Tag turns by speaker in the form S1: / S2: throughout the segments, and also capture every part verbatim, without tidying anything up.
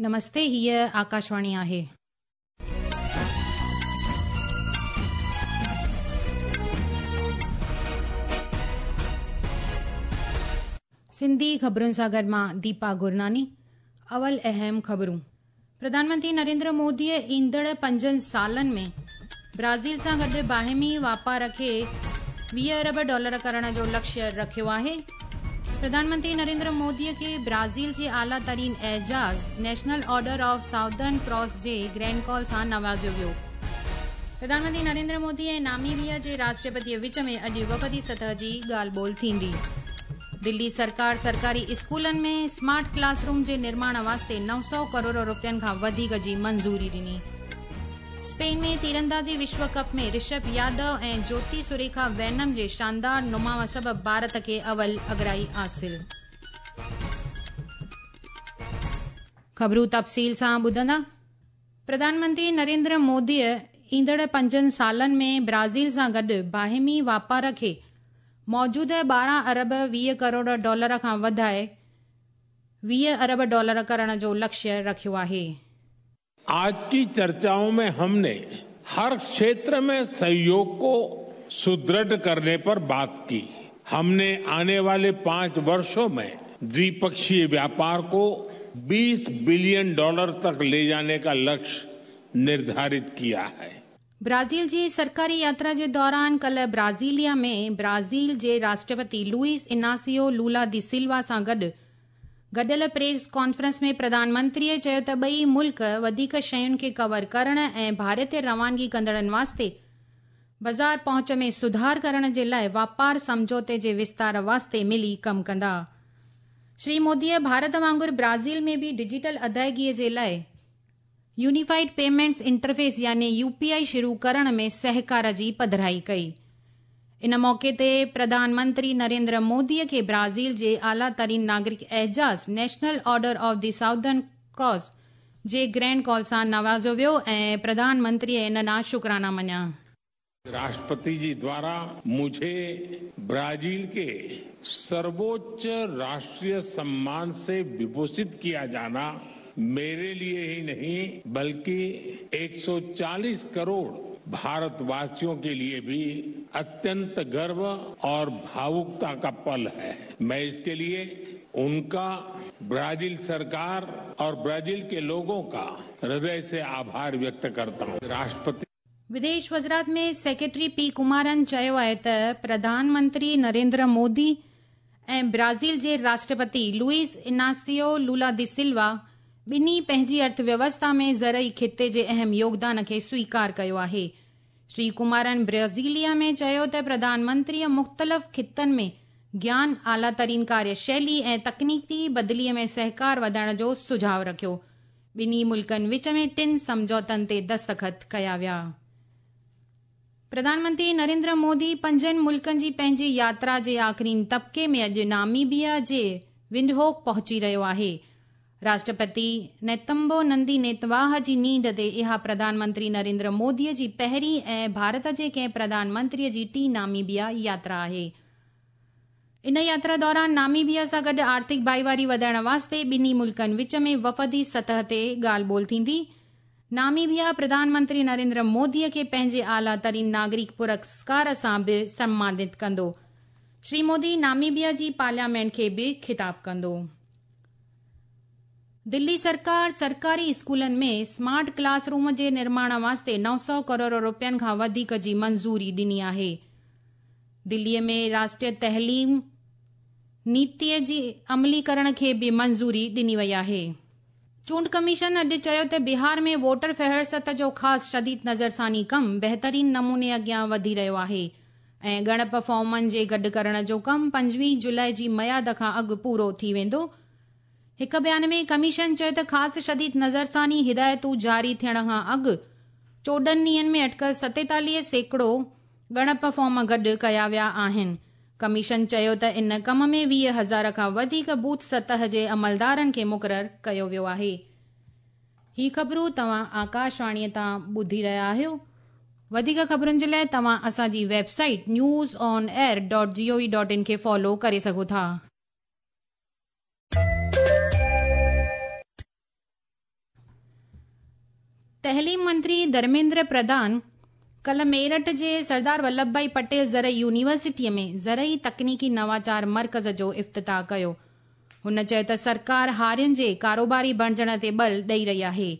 S1: नमस्ते, हीअ आकाशवाणी आहे। सिंधी ख़बरुनि सां गॾु मां दीपा गुरनानी। अवल अहम ख़बरूं। प्रधानमंत्री नरेंद्र मोदीअ ईंदड़ पंजनि सालनि में ब्राज़ील सां गॾु बाहिमी वापार खे वीह अरब डॉलर करण जो लक्ष्य रखियो आहे। प्रधानमंत्री नरेंद्र मोदीअ खे ब्राज़ील जे आला तरीन एजाज़ National Order of Southern Cross J grand call सां नवाज़ियो वियो। प्रधानमंत्री नरेंद्र मोदी ऐं नामीबिया जे राष्ट्रपतीअ विच में अॼु वफ़दी सतह जी ॻाल्हि ॿोल थींदी। दिल्ली सरकार सरकारी स्कूलनि में स्मार्ट क्लासरूम जे निर्माण वास्ते नौ सौ करोड़ रुपयनि खां वधीक जी मंज़ूरी ॾिनी। स्पेन में तीरंदाज़ी विश्व कप में ऋषभ यादव ऐं ज्योति सुरेखा वैनम जे शानदार नुमाव सबबि भारत खे अवल अगराई हासिल। ख़बरूं तफ़सील सां ॿुधंदा। प्रधानमंत्री नरेंद्र मोदीअ ईंदड़ पंजनि सालनि में ब्राज़ील सां गॾु बाहिमी वापार खे मौजूदा ॿारहं अरब वीह करोड़ डॉलर खां वधाए वीह अरब डॉलर करण जो लक्ष्य रखियो आहे।
S2: आज की चर्चाओं में हमने हर क्षेत्र में सहयोग को सुदृढ़ करने पर बात की। हमने आने वाले पांच वर्षों में द्विपक्षीय व्यापार को बीस बिलियन डॉलर तक ले जाने का लक्ष्य निर्धारित किया है।
S1: ब्राज़ील जी सरकारी यात्रा जे दौरान कल ब्राज़ीलिया में ब्राज़ील जे राष्ट्रपति लुइस इनासियो लूला दी सिल्वा सां गॾु गॾियल प्रेस कॉन्फ्रेंस में प्रधानमंत्रीअ चयो त ॿई मुल्क वधीक शयुनि खे कवर करण ऐं भारत ते रवानगी कंदड़नि वास्ते बाज़ार पहुंच में सुधार करण जे लाइ वापार सम्झौते जे विस्तार वास्ते मिली कमु कंदा। श्री मोदीअ भारत वांगुरु ब्राज़ील में बि डिजिटल अदायगीअ जे लाइ यूनिफाइड पेमेंट्स इंटरफेस यानी यूपीआई शुरू करण में सहकार जी पधराई कई। इन मौके ते प्रधानमंत्री नरेंद्र मोदीअ खे ब्राज़ील जे आला तरीन नागरिक एजाज़ National Order of the Southern Cross J grand call सां नवाज़ियो वियो ऐं प्रधानमंत्रीअ इन ॾांहुं शुक्राना मञिया।
S2: राष्ट्रपति जी द्वारा मुझे ब्राजील के सर्वोच्च राष्ट्रीय सम्मान से विभूषित किया जाना मेरे लिए ही नहीं बल्कि एक सौ चालीस करोड़ भारतवासियों के लिए भी अत्यंत गर्व और भावुकता का पल है। मैं इसके लिए उनका, ब्राजील सरकार और ब्राजील के लोगों का हृदय से आभार व्यक्त करता हूं। राष्ट्रपति
S1: विदेश वज़ारत में सेक्रेटरी पी कुमारन चयो आहे त प्रधानमंत्री नरेंद्र मोदी ऐं ब्राज़ील जे राष्ट्रपति लुइस इनासियो लूला दी सिल्वा ॿिन्ही पंहिंजी अर्थव्यवस्था में ज़रई ख़िते जे अहम योगदान खे स्वीकार कयो आहे। श्री कुमारन ब्राज़ीलिया में चयो त प्रधानमंत्रीअ मुख़्तलिफ़ ख़ितनि में ज्ञान, आला तरीन कार्यशैली ऐं तकनीकी बदिलीअ में सहकार वधाइण जो सुझाव रखियो। ॿिन्ही मुल्कनि विच में टिनि सम्झौतनि ते दस्तख़त कया विया। प्रधानमंत्री नरेंद्र मोदी पंजनि मुल्कनि जी पंहिंजी यात्रा जे आख़िरी तबक़े में अॼु नामीबिया जे विंडहोक पहुची रहियो आहे। राष्ट्रपति नेतम्बो नंदी नेतवाह जी नींड ते इहा प्रधानमंत्री नरेंद्र मोदीअ जी पहिरीं ऐं भारत जे कंहिं प्रधानमंत्रीअ जी टीं नामीबिया यात्रा आहे। इन यात्रा दौरान नामीबिया सां गॾु आर्थिक भाईवारी वधाइण वास्ते ॿिन्ही मुल्कनि विच में वफ़दी सतह ते ॻाल्हि ॿोल थींदी। नामीबिया प्रधानमंत्री नरेंद्र मोदीअ खे पंहिंजे आला तरीन नागरिक पुरस्कार सां बि सम्मानित कंदो। श्री मोदी नामीबिया जी पार्लियामेंट खे बि ख़िताब कंदो। दिल्ली सरकार सरकारी स्कूलनि में स्मार्ट क्लासरूम जे निर्माण वास्ते नौ सौ करोड़ रुपयनि खां वधीक जी मंज़ूरी ॾिनी आहे। दिल्लीअ में राष्ट्रीय तहलीम नीतीअ जी अमलीकरण खे बि मंज़ूरी ॾिनी वई आहे। चूंड कमीशन अॼु चयो त बिहार में वोटर फहरिस्त जो ख़ासि शदीद नज़रसानी कमु बहितरीन नमूने अॻियां वधी रहियो आहे ऐं ॻणप फॉर्मनि जे गॾु करण जो कमु पंजवीह जुलाई जी मयाद खां अॻु पूरो थी वेंदो। हिकु बयान में कमीशन चयो त ख़ासि शदीद नज़रसानी हिदायतूं जारी थियण खां अॻु चोॾहं ॾींहंनि में अटकल सतेतालीह सैकड़ो ॻणप फॉर्म गॾु कया विया आहिनि। कमीशन चयो त इन कम में वीह हज़ार खां वधीक बूथ सतह जे अमलदारनि खे मुक़ररु कयो वियो आहे। ही ख़बरूं तव्हां आकाशवाणीअ तां ॿुधी रहिया आहियो। वधीक ख़बरुनि जे लाइ तव्हां असांजी website news on air dot G O V dot in खे फॉलो करे सघो था। तहलीम मंत्री धर्मेंद्र प्रधान कल मेरठ जे सरदार वल्लभ भाई पटेल ज़रई यूनिवर्सिटीअ में ज़रई तकनीकी नवाचार मर्कज़ जो इफ्तिताह कयो। हुन चयो त सरकार हारियुनि जे कारोबारी बणजण ते बल ॾेई रही आहे।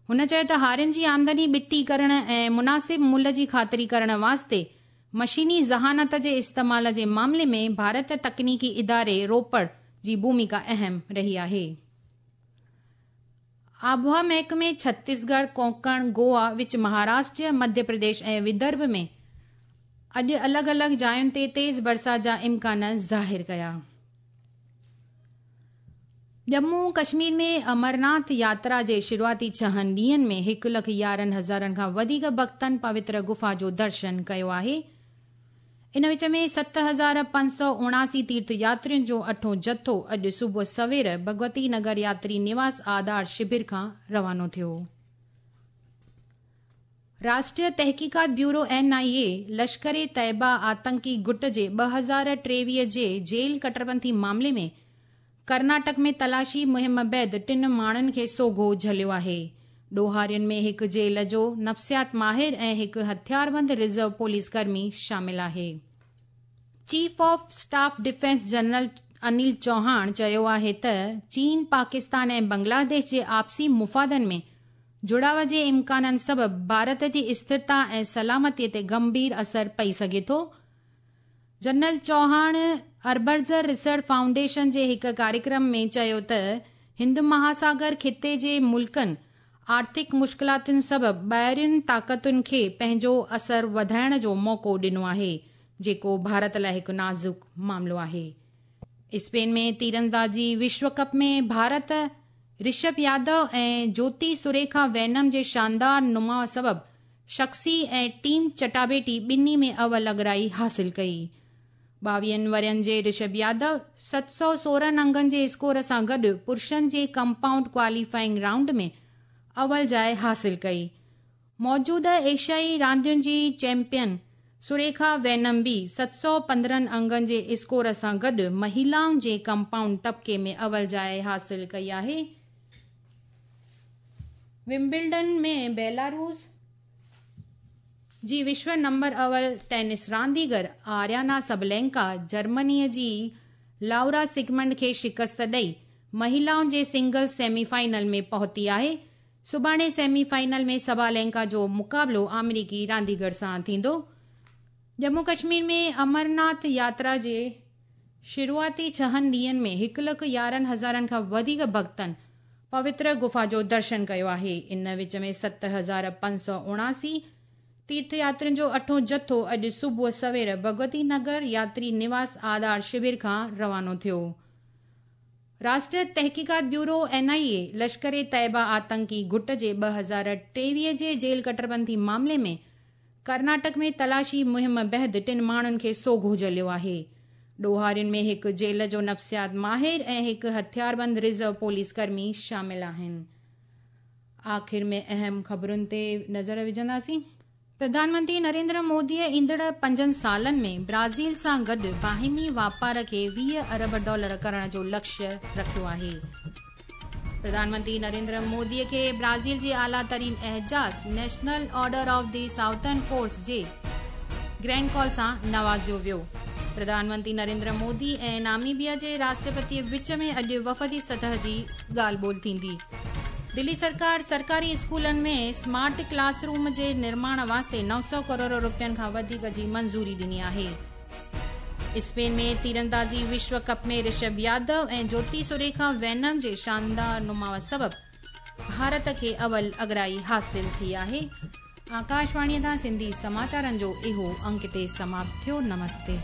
S1: हुन चयो त हारियुनि जी आमदनी ॿिटी करण ऐं मुनासिब मुल्ह जी ख़ातिरी करण वास्ते मशीनी ज़हानत जे इस्तेमाल जे मामले में भारत तकनीकी इदारे रोपड़ जी भूमिका अहम रही आहे। आबहवा महकमे छत्तीसगढ़, कोंकण, गोवा, विच महाराष्ट्र, मध्य प्रदेश ऐं विदर्भ में अॼु अलॻि अलॻि जायुनि ते तेज़ बरसाति जा इम्कान ज़ाहिर कया। जम्मू कश्मीर में अमरनाथ यात्रा जे शुरूआती छहनि ॾींहंनि में हिकु लख यारहं हज़ारनि खां वधीक भक्तनि पवित्र गुफा जो दर्शन कयो आहे। इन विच में सत हज़ार पंज सौ उणासी तीर्थ यात्रियुनि जो अठों जथो अॼु सुबुह सवेर भगवती नगर यात्री निवास आधार शिविर खां रवानो थियो। राष्ट्रीय तहक़ीक़ात ब्यूरो एन आई ए लश्कर तैयबा आतंकी गुट जे ॿ हज़ार टेवीह जे जेल कटरपंथी मामले में कर्नाटक में तलाशी मुहिम बाद टिनि माण्हुनि खे सोघो झलियो आहे। ॾोहारियुनि में हिकु जेल जो नफ़्सियात माहिर ऐं हिकु हथियारबंद रिज़र्व पुलिस कर्मी शामिल आहे। Chief of staff defence general Anil Chauhan चयो आहे त चीन, पाकिस्तान ऐं बांग्लादेश जे आपसी मुफ़ादनि में जुड़ाव जे इम्काननि सबबि भारत जी स्थिरता ऐं सलामतीअ ते गंभीर असर पई सघे थो। जनरल चौहान अर्बर्जर रिसर्च फाउंडेशन जे हिकु कार्यक्रम में चयो त हिंद महासागर खिते जे मुल्कनि आर्थिक मुश्किलातुनि सबबि ॿाहिरियुनि ताक़तुनि खे पंहिंजो असर वधाइण जो मौक़ो ॾिनो आहे, जेको भारत लाइ हिकु नाज़ुक मामलो आहे। स्पेन में तीरंदाजी विश्व कप में भारत ऋषभ यादव ऐं ज्योति सुरेखा वैनम जे शानदार नुमाउ सबबि शख़्सी ऐं टीम चटाबेटी ॿिन्ही में अव्वल अगराई हासिल कई। ॿावीहनि वरियनि जे ऋषभ यादव सत सौ सोरहं अंगनि जे स्कोर सां गॾु पुरुषनि जे कंपाउंड क्वालीफाइंग राउंड में अव्वल जाइ हासिल कई। मौजूदा एशियाई रांदियुनि जी चैंपियन सुरेखा वैनम बि सत सौ पंद्रहं अंगनि जे स्कोर सां गॾु महिलाउनि जे कंपाउंड तबके में अव्वल जाइ हासिल कई आहे। विम्बलडन में बेलारूस जी विश्व नंबर अव्वल टेनिस रांदीगर आर्याना सबलेंका जर्मनीअ जी लाउरा सिगमंड खे शिकस्त ॾेई महिलाउनि जे सिंगल्स सेमीफाइनल में पहुती आहे। सुभाणे सेमीफाइनल में सबालेंका जो मुक़ाबिलो अमेरिकी रांदीगर सां थींदो। जम्मू कश्मीर में अमरनाथ यात्रा जे शुरूआती छहनि ॾींहंनि में हिकु लख यारहं हज़ारनि खां वधीक भक्तनि पवित्र गुफा जो दर्शन कयो आहे। इन विच में सत हज़ार पंज सौ उणासी तीर्थ यात्रियुनि जो अठों जथो अॼु सुबुह सवेर भगवती नगर यात्री निवास आधार शिविर खां रवानो थियो। राष्ट्रीय तहक़ीक़ात ब्यूरो एन आई ए लश्कर तैयबा आतंकी गुट जे ॿ हज़ार टेवीह जे जेल कटरपंथी मामले में कर्नाटक में तलाशी मुहिम बाद टिनि माण्हुनि खे सोघो झलियो आहे। ॾोहारियुनि में हिकु जेल जो नफ़्सियात माहिर ऐं हिकु हथियारबंद रिज़र्व पुलिस कर्मी शामिल आहिनि। आख़िर में अहम ख़बरुनि ते नज़र विझंदासीं। प्रधानमंत्री नरेंद्र मोदीअ ईंदड़ पंजनि सालनि में ब्राज़ील सां गॾु बाहिमी वापार खे वीह अरब डॉलर करण जो लक्ष्य रखियो आहे। प्रधानमंत्री नरेंद्र मोदीअ खे ब्राज़ील जे आला तरीन एजाज़ national order of the southern force J grand call सां नवाज़ियो वियो। प्रधानमंत्री नरेंद्र मोदी ऐं नामीबिया जे राष्ट्रपति विच में अॼु वफ़दी सतह जी ॻाल्हि ॿोल थींदी। दिल्ली सरकार सरकारी स्कूलनि में स्मार्ट क्लासरूम जे निर्माण वास्ते नौ सौ करोड़ रुपयनि खां वधीक जी मंज़ूरी ॾिनी आहे। स्पेन में तीरंदाजी विश्व कप में ऋषभ यादव ऐं ज्योति सुरेखा वैनम जे शानदार नुमाउ सबबि भारत खे अव्वल अगराई हासिल थी आहे। आकाशवाणीअ तां सिंधी समाचारनि जो इहो अंक ते समाप्त थियो। नमस्ते।